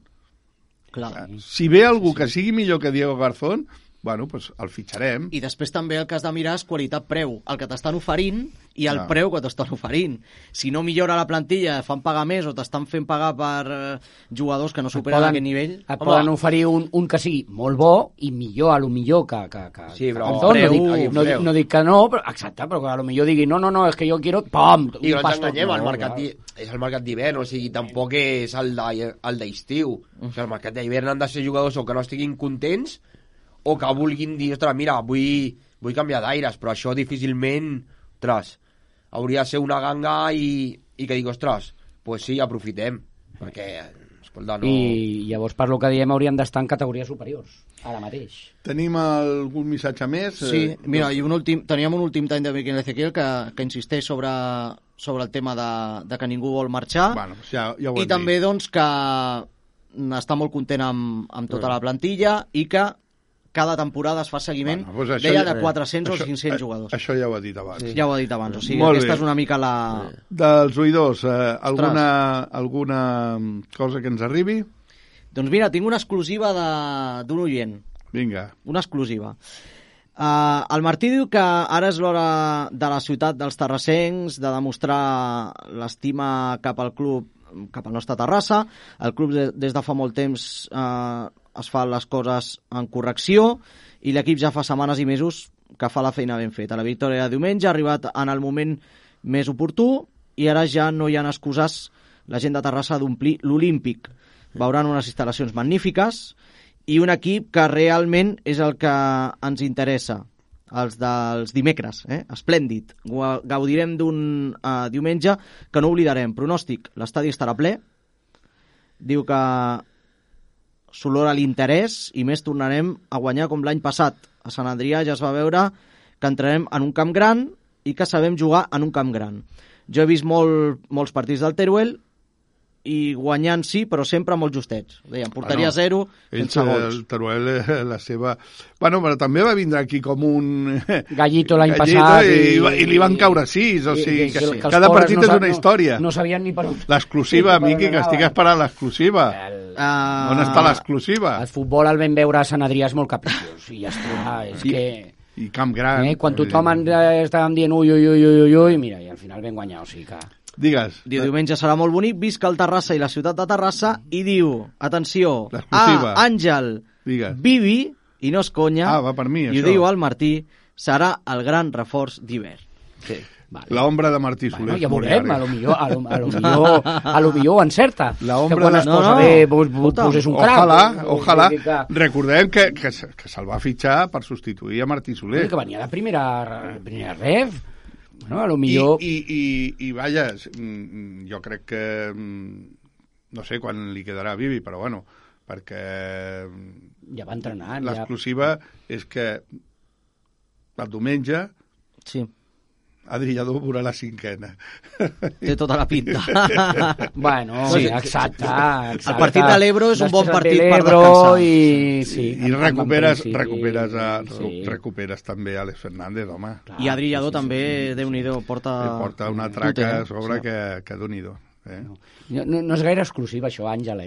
Si ve algú que sigui millor que Diego Garzón, bueno, pues el fitxarem. I després també el que has de mirar és qualitat-preu, el que t'estan oferint i el preu que t'estan oferint. Si no millora la plantilla, fan pagar més o t'estan fent pagar per jugadors que no superen aquest nivell... Et poden oferir un que sigui molt bo i millor, a lo millor que sí, però no dic que no, però exacte, però que a lo millor digui no, és que jo quiero... Pam! I no ens enganyem, és el mercat d'hivern, o sigui, tampoc és el d'estiu. O sigui, el mercat d'hivern han de ser jugadors o que no estiguin contents o que vulguin dir, ostres, mira, vull canviar d'aires, però això difícilment, ostres, hauria de ser una ganga i que digui, ostres, pues sí, aprofitem, perquè, escolta, no... I llavors, per lo que diem, hauríem d'estar en categories superiors, ara mateix. Tenim algun missatge més? Sí, mira, teníem un últim tall de Miquel Ezequiel que insisteix sobre el tema de que ningú vol marxar, bueno, ja ho i també, doncs, que està molt content amb tota la plantilla i que cada temporada es fa seguiment, deia, de 400 o 500 jugadors. Això ja ho ha dit abans. Ja ho ha dit abans, o sigui, aquesta és una mica la... Dels oïdors, alguna cosa que ens arribi? Doncs mira, tinc una exclusiva d'un oient. Vinga. Una exclusiva. El Martí diu que ara és l'hora de la ciutat dels terrassencs de demostrar l'estima cap al club, cap al nostre Terrassa. El club des de fa molt temps es fa les coses en correcció i l'equip ja fa setmanes i mesos que fa la feina ben feta. La victòria de diumenge ha arribat en el moment més oportú i ara ja no hi ha excuses la gent de Terrassa d'omplir l'Olímpic. Veuran unes instal·lacions magnífiques i un equip que realment és el que ens interessa, els dels dimecres, esplèndid. Gaudirem d'un diumenge que no oblidarem. Pronòstic, l'estadi estarà ple, diu que s'olora l'interès i més tornarem a guanyar com l'any passat. A Sant Adrià ja es va veure que entrarem en un camp gran i que sabem jugar en un camp gran. Jo he vist molts partits del Teruel i guanyant sí, però sempre molt justets. Deien, portaria 0 sense gols. El Teruel, la seva... Bueno, però també va vindre aquí com un... Gallito l'any passat. I li van caure 6, o sigui, que cada partit és una història. No sabien ni per on... L'exclusiva, Miqui, que estic esperant l'exclusiva. On està l'exclusiva? El futbol el vam veure a Sant Adrià és molt capiciós, i ja està, és que... I camp gran. Quan tothom estàvem dient ui, mira, i al final vam guanyar, o sigui que... Digues. Diu, diumenge serà molt bonic, visca el Terrassa i la ciutat de Terrassa, i diu, atenció, Àngel, Bibi, i no és conya, va per mi, i ho diu el Martí, serà el gran reforç d'hivern. Sí. Vale. L'ombra de Martí Soler. Ja veurem, a lo millor encerta. L'ombra quan es posa bé, pues és un crac. Ojalà. Recordem que se'l va fitxar per substituir a Martí Soler. Que venia de primera ref. Bueno, a lo millor... I vaja, jo crec que... No sé quan li quedarà a Bibi, però bueno, perquè... Ja va entrenant. L'exclusiva és que el diumenge... Sí. Adri Lladó veurà la 5ª. Té tota la pinta. Bueno, sí, exacte. El partit de l'Ebro és un bon partit per descansar. I recuperes també Àlex Fernández, home. I Adri Lladó també, Déu-n'hi-do, porta una traca a sobre que Déu-n'hi-do. No és gaire exclusiva això, Àngel,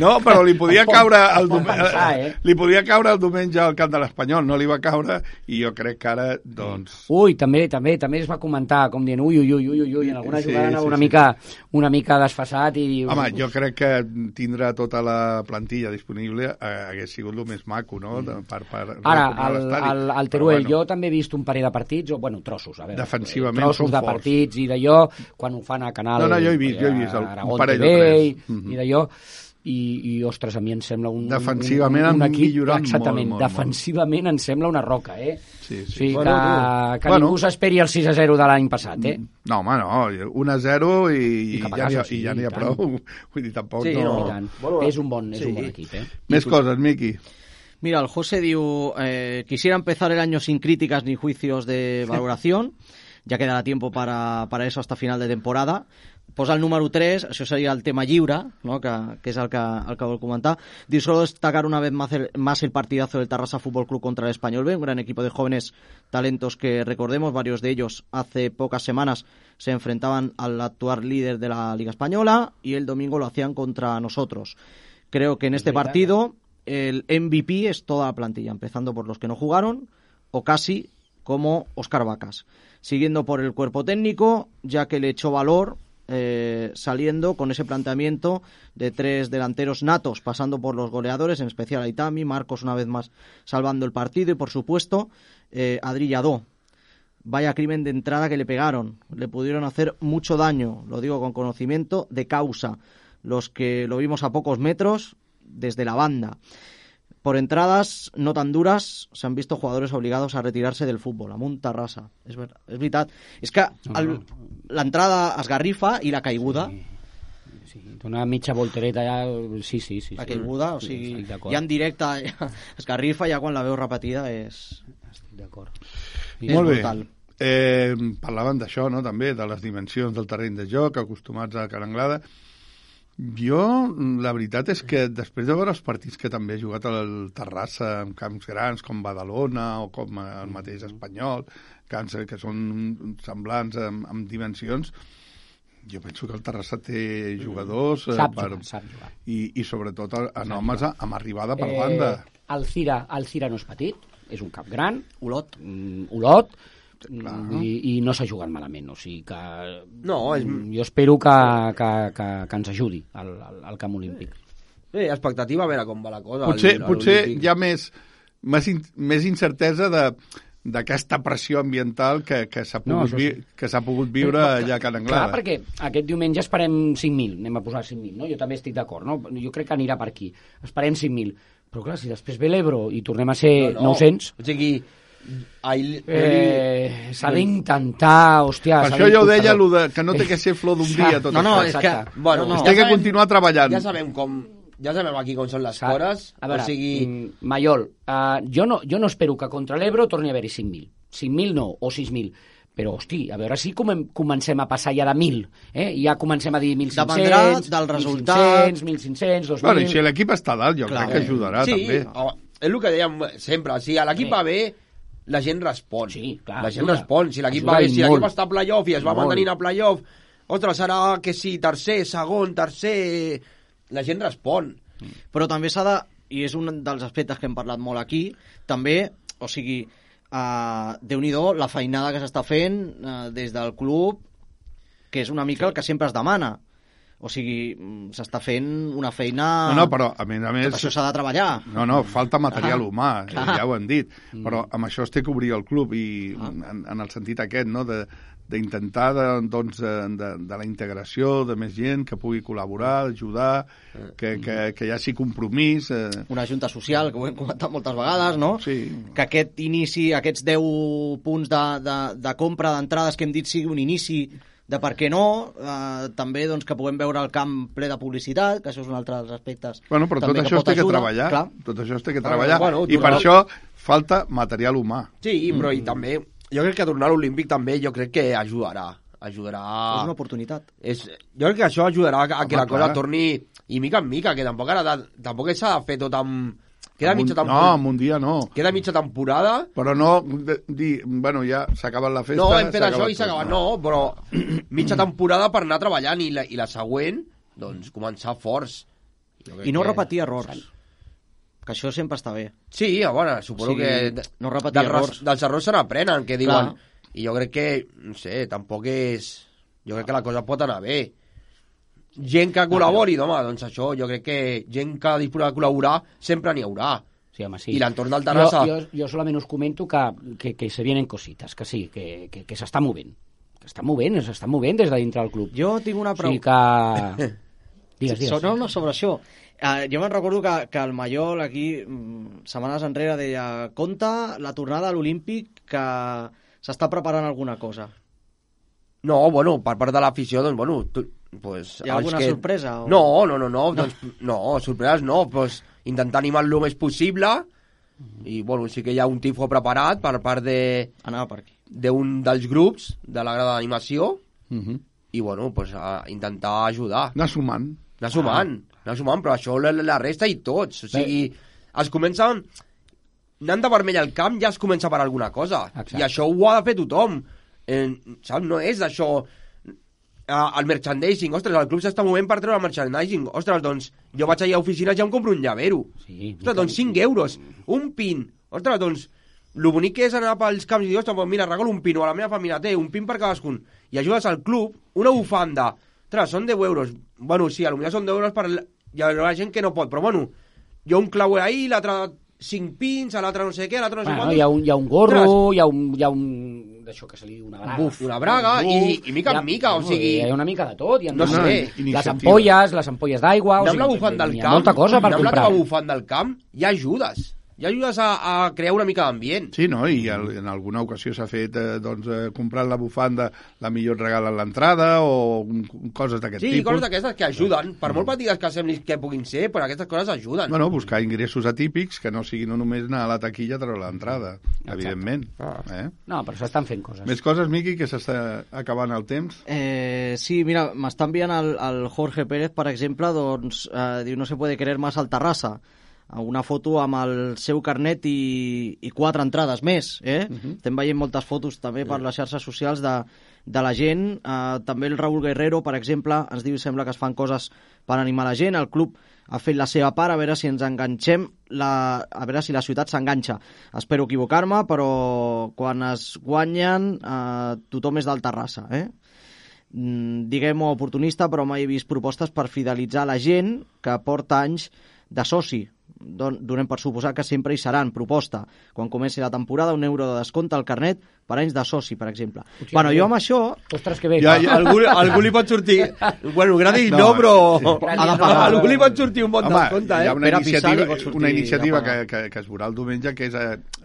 No, però li podia caure li podia caure el diumenge al camp de l'Espanyol, no li va caure, i jo crec que ara, doncs... Ui, també es va comentar, com dient ui, en alguna jugada anava una mica desfasat i diu... Home, jo crec que tindre tota la plantilla disponible hagués sigut el més maco, no? Ara, al Teruel, jo també he vist un parell de partits, o, bueno, trossos, a veure, defensivament trossos de partits i d'allò, quan ho fan a Canal... No, jo he vist un parell o tres. I d'allò, i ostres, a mi em sembla defensivament un equip, millorant exactament, defensivament em sembla una roca, Sí. O sigui, que ningú s'esperi el 6-0 de l'any passat, No, home, no, 1-0 i ja n'hi ha prou. Vull dir, tampoc no... És un bon equip, Més coses, Miqui. Mira, el José diu, quisiera empezar el año sin críticas ni juicios de valoración, ya quedará tiempo para eso hasta final de temporada. Posa el número 3, això seria el tema lliure, ¿no? que és el que vol comentar. Diu, solo destacar una vez más el partidazo del Terrassa Fútbol Club contra el Español B, un gran equipo de jóvenes talentos que recordemos, varios de ellos hace pocas semanas se enfrentaban al actual líder de la Liga Española y el domingo lo hacían contra nosotros. Creo que en este partido el MVP es toda la plantilla, empezando por los que no jugaron, o casi como Óscar Vacas, siguiendo por el cuerpo técnico, ya que le echó valor saliendo con ese planteamiento de 3 delanteros natos, pasando por los goleadores, en especial a Itami, Marcos una vez más salvando el partido y por supuesto Adri Lladó. Vaya crimen de entrada que le pegaron, le pudieron hacer mucho daño, lo digo con conocimiento de causa, los que lo vimos a pocos metros desde la banda. Por entradas no tan duras s'han visto jugadores obligados a retirarse del fútbol, amb un Terrassa. És veritat. És que l'entrada esgarrifa i la caiguda... Sí, una mitja voltereta ja... Sí. La caiguda, o sigui, ja en directe esgarrifa, ja quan la veu repetida és... Estic d'acord. Molt bé. Parlaven d'això, no?, també, de les dimensions del terreny de joc, acostumats a Caranglada. Jo, la veritat és que després de veure els partits que també he jugat al Terrassa, en camps grans com Badalona o com el mateix Espanyol, camps que són semblants amb dimensions, jo penso que el Terrassa té jugadors Sap jugar. I sobretot en homes amb arribada per banda. El Cira no és petit, és un cap gran, Olot, i no s'ha jugat malament, o sigui que no, jo espero que ens ajudi al camp olímpic. Bé, expectativa, a veure com va la cosa. Potser hi ha més incertesa d'aquesta pressió ambiental que s'ha pogut viure allà a Can Anglada. Clar, perquè aquest diumenge esperem 5.000, anem a posar 5.000, no? Jo també estic d'acord, no? Jo crec que anirà per aquí. Esperem 5.000, però clar, si després ve l'Ebro i tornem a ser 900... O sigui, s'ha d'intentar, hòstia... Per això jo ho deia, que no té que ser flor d'un dia tot això. És que té que continuar treballant. Ja sabem aquí com són les coses. A veure, Maiol, jo no espero que contra l'Ebro torni a haver-hi 5.000. 5.000 no, o 6.000. Però, hosti, a veure si comencem a passar ja de 1.000. Ja comencem a dir 1.500... Dependrà del resultat. 1.500, 2.000... Bueno, i si l'equip està dalt, jo crec que ajudarà, també. Sí, és el que dèiem sempre. Si l'equip va bé, la gent respon. Sí, clar. La gent respon. Si l'equip va bé, si l'equip està a playoff i es va mantenint a playoff, ostres, serà que sí, tercer, segon, tercer... La gent respon. Però també s'ha de, i és un dels aspectes que hem parlat molt aquí, també, o sigui, Déu-n'hi-do la feinada que s'està fent des del club, que és una mica el que sempre es demana. O sigui, s'està fent una feina... No, però a més... Tot això s'ha de treballar. No, falta material humà, ja ho hem dit. Però amb això es té que obrir el club i en el sentit aquest, no?, d'intentar de la integració de més gent que pugui col·laborar, ajudar, que hi hagi compromís. Una junta social, que ho hem comentat moltes vegades, no? Sí. Que aquest inici, aquests 10 punts de compra d'entrades que hem dit sigui un inici de per què no, també doncs, que puguem veure el camp ple de publicitat, que això és un altre dels aspectes. Bueno, però tot això es té que treballar. Tot això es té que treballar. I per això falta material humà. Sí, però i també... Jo crec que tornar a l'Olímpic també jo crec que ajudarà. És una oportunitat. Jo crec que això ajudarà a que la cosa torni i mica en mica, que tampoc s'ha de fer tot amb... en un dia no. Queda mitja temporada. Però no dir, bueno, ja s'ha acabat la festa... No, hem fet això i s'ha acabat. No, però mitja temporada per anar treballant i la següent, doncs, començar forts. I no repetir errors. Que això sempre està bé. Sí, bueno, suposo que no repetir errors. Dels errors se n'aprenen, que diuen. I jo crec que, no sé, tampoc és... Jo crec que la cosa pot anar bé. Gent que col·labori, home, doncs això, jo crec que gent que disposa de col·laborar sempre n'hi haurà. Sí, home, sí. I l'entorn del Terrassa... Jo solament us comento que se vienen cositas, que sí, que s'està movent. S'està movent des de dintre del club. Jo tinc una pregunta. O sigui que... Digues. No, sobre això. Jo me'n recordo que el Maiol aquí, setmanes enrere, deia compta la tornada a l'Olímpic que s'està preparant alguna cosa. No, bueno, per part de l'afició, doncs, bueno... Pues, hi ha alguna sorpresa? O... No, doncs, no, sorpreses no, pues, intentar animar el més possible i, bueno, sí que hi ha un tifo preparat per part d'un dels grups de la grada d'animació i, bueno, pues, intentar ajudar. Anar sumant, però això la resta i tots. O sigui, es comencen... Anant de vermell al camp ja es comença per alguna cosa. Exacte. I això ho ha de fer tothom. Saps? No és d'això... El merchandising, ostres, el club s'està movent per treure el merchandising. Ostres, doncs, jo vaig allà a oficines i ja em compro un llavero. Sí, ostres, doncs 5 euros. Un pin. Ostres, doncs, lo bonic que és anar pels camps i dir, ostres, doncs mira, regalo un pin, o a la meva família té un pin per cadascun. I ajudes al club, una bufanda. Ostres, són 10 euros. Bueno, sí, potser són 10 euros per... Hi ha gent que no pot, però bueno, hi ha un clauer ahí, l'altre 5 pins, a l'altre no sé què, a l'altre no sé quant. Hi ha un gorro, hi ha un d'això que se li diu una braga. Una braga, i mica en mica, o sigui... Hi ha una mica de tot. No sé. Les ampolles d'aigua... Amb la bufanda del camp, hi ha molta cosa per comprar. Amb la bufanda del camp, hi ha ajudes. ja ajudes a crear una mica d'ambient. Sí, no? I en alguna ocasió s'ha fet comprant la bufanda la millor regal a l'entrada o coses d'aquest tipus. Sí, coses d'aquestes que ajuden, per molt petites que semblin que puguin ser, però aquestes coses ajuden. Bueno, buscar ingressos atípics que no siguin només anar a la taquilla a treure l'entrada, evidentment. No, però s'estan fent coses. Més coses, Miqui, que s'està acabant el temps? Sí, mira, m'està enviant el Jorge Pérez, per exemple, doncs, diu, no se puede querer más al Terrassa. Una foto amb el seu carnet i 4 entrades més. Estem veient moltes fotos també per les xarxes socials de la gent. També el Raúl Guerrero, per exemple, ens diu, sembla que es fan coses per animar la gent. El club ha fet la seva part, a veure si ens enganxem, a veure si la ciutat s'enganxa. Espero equivocar-me, però quan es guanyen tothom és del Terrassa. Diguem-ho oportunista, però mai he vist propostes per fidelitzar la gent que porta anys de soci. Donem per suposar que sempre hi seran. Proposta, quan comenci la temporada, €1 de descompte al carnet per anys de soci, per exemple. Bueno, jo amb això... Ostres, que bé. Algú li pot sortir... Bueno, gratis no, però... Algú li pot sortir un bon descompte, Hi ha una iniciativa que es veurà el diumenge, que és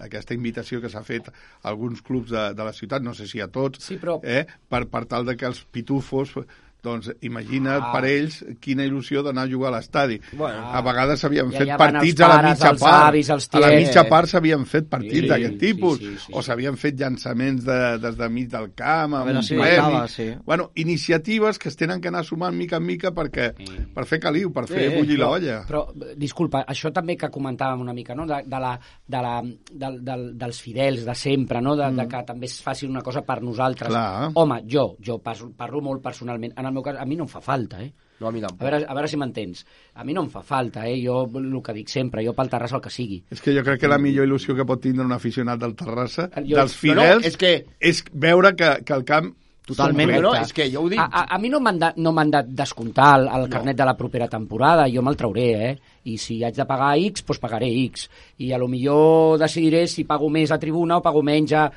aquesta invitació que s'ha fet a alguns clubs de la ciutat, no sé si a tots, per tal de que els pitufos... Doncs imagina't per ells quina il·lusió d'anar a jugar a l'estadi. A vegades s'havien fet partits a la mitja part. A la mitja part s'havien fet partits d'aquest tipus. O s'havien fet llançaments des de mig del camp, amb un premi. Bueno, iniciatives que es tenen que anar sumant mica en mica per fer caliu, per fer bullir l'olla. Però, disculpa, això també que comentàvem una mica, no? Dels fidels de sempre, no? De que també es faci una cosa per nosaltres. Home, jo parlo molt personalment. En el meu cas, a mi no em fa falta, No, a mi tampoc. A veure si m'entens. A mi no em fa falta, Jo el que dic sempre, jo pel Terrassa el que sigui. És que jo crec que la millor il·lusió que pot tindre un aficionat del Terrassa, dels fidels, és veure que el camp... Totalment. És que jo ho dic. A mi no m'han de descomptar el carnet de la propera temporada, jo me'l trauré, I si haig de pagar X, doncs pagaré X. I a lo millor decidiré si pago més a tribuna o pago menys a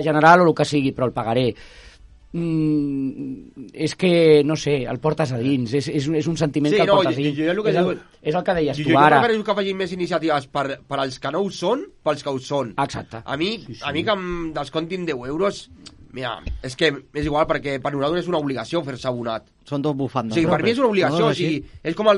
general o el que sigui, però el pagaré. És que, no sé, el portes a dins, és un sentiment que el portes a dins. És el que deies tu ara. Jo prefereixo que facin més iniciatives per als que no ho són, pels que ho són. Exacte. A mi que em descontin €10, mira, és que és igual, perquè per nosaltres és una obligació fer-se abonat. Són dos bufandes. Sí, per mi és una obligació, és com el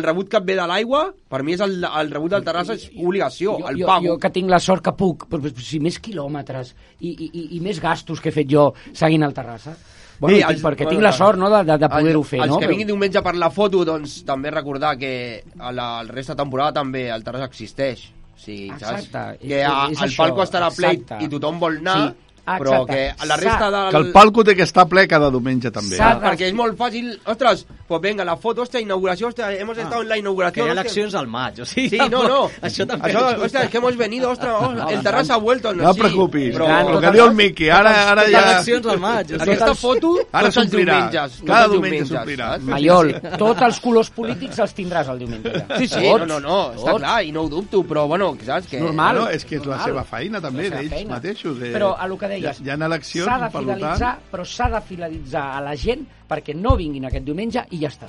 rebut que et ve de l'aigua, per mi és el rebut del Terrassa és obligació, el pago. Jo que tinc la sort que puc, però si més quilòmetres i més gastos que he fet jo seguint el Terrassa, perquè tinc la sort de poder-ho fer. Els que vinguin diumenge per la foto, doncs també recordar que el resta de temporada també el Terrassa existeix. Exacte. Que el palco estarà ple i tothom vol anar, però que la resta del... Que el palco té que estar ple cada diumenge també. Perquè és molt fàcil, ostres, pues venga, la foto, inauguració, hemos estado en la inauguración. Que hi ha eleccions al maig, o sigui... Sí, no. Això també... Ostres, que hemos venido, ostres, el Terrassa ha vuelto. No preocupis, el que diu el Miqui, ara ja... Eleccions al maig. Aquesta foto, tots els diumenges. Cada diumenge s'omplirà. Maiol, tots els colors polítics els tindràs el diumenge. Sí, no, està clar, i no ho dubto, però bueno, saps? Normal. És que és la seva feina també, d'ells mateixos. Però a lo que deies... Hi ha eleccions, per tant... Però s'ha de fidelitzar a la gent perquè no vinguin aquest diumenge i ja està.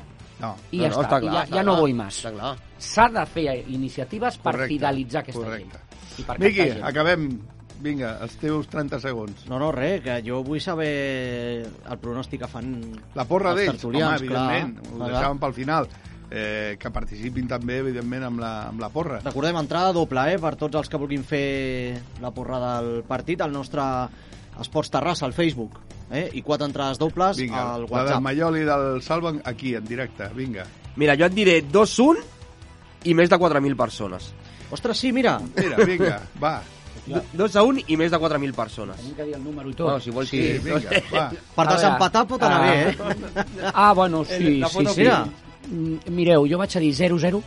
I ja està, ja no vull més. S'ha de fer iniciatives per fidelitzar aquesta gent. Miqui, acabem. Vinga, els teus 30 segons. No, res, que jo vull saber el pronòstic que fan la porra d'ells, home, evidentment. Ho deixàvem pel final. Que participin també, evidentment, amb la porra. Recordem, entrada doble, per tots els que vulguin fer la porra del partit, al nostre Esports Terrassa, al Facebook, i 4 entrades dobles al WhatsApp. La del Maiol i del Salva aquí, en directe, vinga. Mira, jo et diré 2-1 i més de 4.000 persones. Ostres, sí, mira. Vinga, va. 2-1 i més de 4.000 persones. Tenim que dir el número i tot. No, si vols sí, vinga, va. Per desempatar pot anar bé, bueno, sí. Mireu, jo vaig a dir 0-0.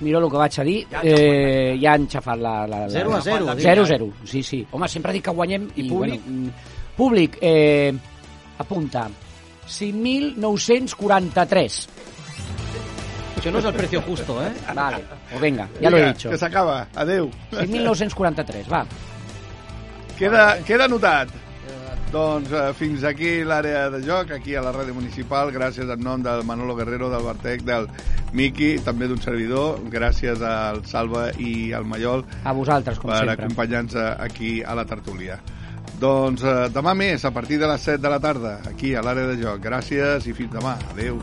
Mireu el que vaig a dir. Ja han xafat la 0-0. 0-0, sí. Home, sempre dic que guanyem. I públic? Públic, apunta, 5.943. Això no és el precio justo, Vale, pues venga, ya lo he dicho. Que s'acaba, adeu. 5.943, va. Queda anotat. Doncs fins aquí l'àrea de joc, aquí a la ràdio municipal. Gràcies en nom del Manolo Guerrero, del Bartec, del Miqui, també d'un servidor. Gràcies al Salva i al Mallol. A vosaltres, com sempre. Per acompanyar-nos aquí a la tertúlia. Doncs demà més, a partir de les 7 de la tarda, aquí a l'àrea de joc. Gràcies i fins demà. Adéu.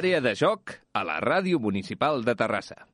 Àrea de joc a la Ràdio Municipal de Terrassa.